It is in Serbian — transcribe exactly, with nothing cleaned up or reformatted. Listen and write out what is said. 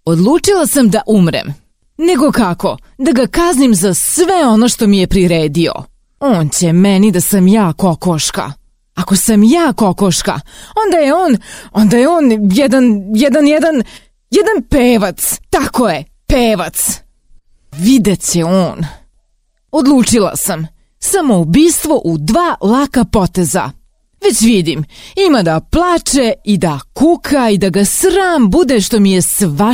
Odlučila sam da umrem. Nego kako? Da ga kaznim za sve ono što mi je priredio. On će meni da sam ja kokoška. Ako sam ja kokoška, onda je on, onda je on jedan, jedan, jedan, jedan pevac. Tako je, pevac. Vidjet će on. Odlučila sam. Samoubistvo u dva laka poteza. Već vidim, ima da plače i da kuka i da ga sram bude što mi je sva